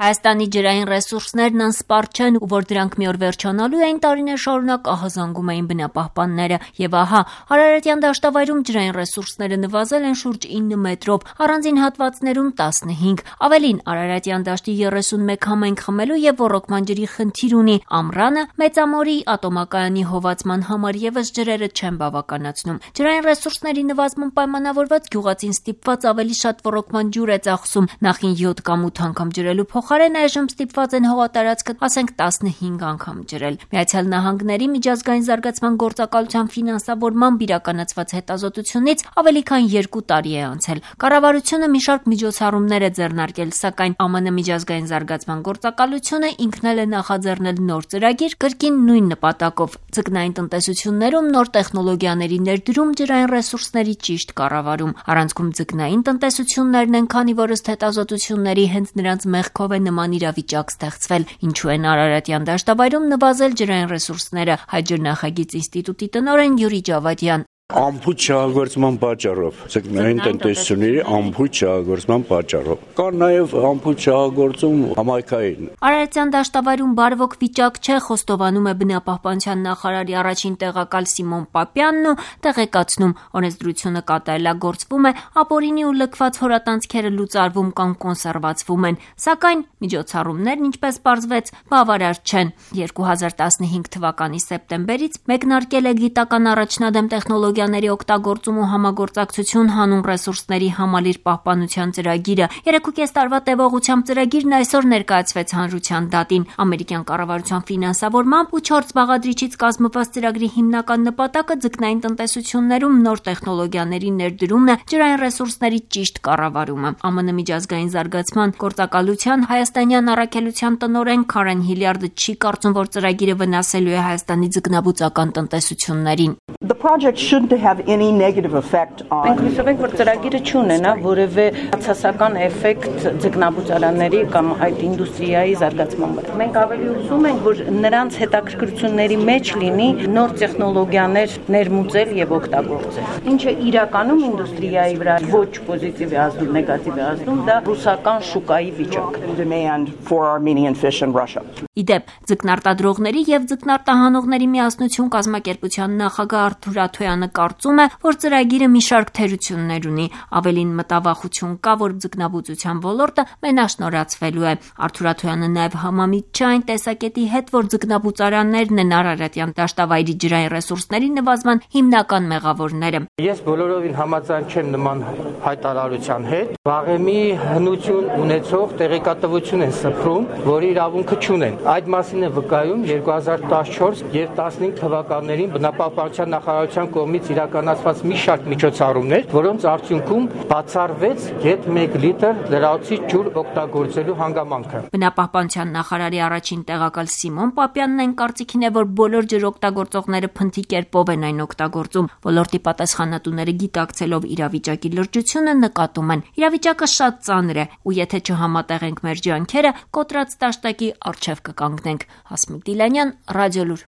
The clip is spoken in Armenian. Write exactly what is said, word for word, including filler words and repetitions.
Հայաստանի ջրային ռեսուրսներն անսպառ չեն ու որ դրանք մի օր վերջանալու էին, տարիներ շարունակ ահազանգում էին բնապահպանները եւ ահա Արարատյան դաշտավայրում ջրային ռեսուրսները նվազել են շուրջ ինը մետրով, առանձին հատվածներում տասնհինգ։ Ավելին, Արարատյան դաշտի երեսունմեկ համայնք խմելու եւ ոռոգման ջրի խնդիր ունի։ Ամռանը Մեծամորի ատոմակայանի հովացման համար եւս ջրերը չեն բավականացնում։ Ջրային ռեսուրսների նվազման պայմանավորված գյուղացին ստիպված ավելի շատ ոռոգման ջուր է ծախսում, նախին յոթ կամ ութ անգամ ջրելու փոխարեն այժմ ստիպված են հողատարածքը ասենք տասնհինգ անգամ ջրել։ Միացյալ Նահանգների միջազգային զարգացման գործակալության ֆինանսավորմամբ իրականացված հետազոտությունից ավելի քան երկու տարի է անցել։ Կառավարությունը մի շարք միջոցառումներ է ձեռնարկել, սակայն ԱՄՆ միջազգային զարգացման գործակալությունը ինքն էլ է նախաձեռնել նոր ծրագիր կրկին նույն նպատակով՝ ձկնային տնտեսություններում նոր տեխնոլոգիաների ներդրում, ջրային ռեսուրսների ճիշտ կառավարում։ Առանցքում ձկնային տնտեսություններն են, քանի որ ըստ հետազոտությունների հենց նրանց մեղքով է նման իրավիճակ ստեղծվել։ Ինչու են Արարատյան դաշտավայրում նվազել ջրային ռեսուրսները, Հայ ջրնախագիծ ինստիտուտի տնօրեն Յուրի Ջավադյան։ Անփույթ շահագործման պատճառով, ձկնային տնտեսությունների անփույթ շահագործման պատճառով։ Կա նաև անփույթ շահագործում համայնքային։ Արարատյան դաշտավայրում բարվոք վիճակ չէ, խոստովանում է բնապահպանության նախարարի առաջին տեղակալ Սիմոն Պապյանն ու տեղեկացնում, օրենսդրությունը կատարելագործվում է, ապօրինի ու լքված հորատանցքերը լուծարվում կամ կոնսերվացվում են, սակայն միջոցառումներն, ինչպես պարզվեց, բավարար չեն։ երկու հազար տասնհինգ թվականի սեպտեմբերից մեկնարկել է գիտական առաջնադեմ տեխնոլոգիաների օգտագործում ու համագործակցություն հանուն ռեսուրսների համալիր պահպանության ծրագիրը։ Երեքուկես տարվա տևողությամբ ծրագիրն այսօր ներկայացվեց հանրության դատին։ Ամերիկյան կառավարության ֆինանսավորմամբ ու չորս բաղադրիչից կազմված ծրագրի հիմնական նպատակը ձկնային տնտեսություններում նոր տեխնոլոգիաների ներդրումն է, ջրային ռեսուրսների ճիշտ կառավարումը։ ԱՄՆ միջազգային զարգացման գործակալության հայաստանյան առաքելության տնօրեն Քարեն Հիլյարդը չի կարծում, որ ծրագիրը վնասելու է Հայաստանի ձկնաբուծական տնտեսություններին։ The project shouldn't have any negative effect on. Մենք հույսով ենք, որ ծրագիրը չունենա որևէ բացասական էֆեկտ ձկնաբուծարանների կամ այդ ինդուստրիայի զարգացման վրա։ Մենք ավելի ուզում ենք, որ նրանց հետաքրքրությունների մեջ լինի նոր տեխնոլոգիաներ ներմուծել եւ օգտագործել։ Ինչը իրականում ինդուստրիայի վրա ոչ պոզիտիվ է ազդում, նեգատիվ է ազդում, դա ռուսական շուկայի վիճակը։ Demand for Armenian fish in Russia. Իդեպ, ձկնարտադրողների եւ ձկնարտահանողների միասնություն կազմակերպության նախագահ Արթուր Աթոյանը կարծում է, որ ծրագիրը մի շարք թերություններ ունի, ավելին մտավախություն կա, որ ձկնաբուծության ոլորտը մենաշնորհացվելու է։ Արթուր Աթոյանը նաև համամիտ չէ այն տեսակետի հետ, որ ձկնաբուծարաններն են Արարատյան դաշտավայրի ջրային ռեսուրսների նվազման հիմնական մեղավորները։ Ես բոլորովին համաձայն չեմ նման հայտարարության հետ։ Վաղեմի հնություն ունեցող տեղեկատվություն են սփռում, որի իրավունքը չունեն։ Այդ մասին է վկայում երկու հազար տասնչորս եւ տասնհինգ թվականներին բնապահպանության նախարարության կողմից իրականացված մի շարք միջոցառումներ, որոնց արդյունքում բացառվեց գեթ մեկ լիտր լրացուցիչ ջուր օգտագործելու հանգամանքը։ Բնապահպանության նախարարի առաջին տեղակալ Սիմոն Պապյանն այն կարծիքին է, որ բոլոր ջրօգտագործողները փնթի կերպով են այն օգտագործում։ Ոլորտի պատասխանատուները գիտակցելով իրավիճակի լրջությունը նկատում են։ Իրավիճակը շատ ծանր է, ու եթե չհամատեղենք մեր ջանքերը, կոտրած տաշտակի առջև կկանգնենք։ Հասմիկ Դիլանյան, Ռադիոլուր։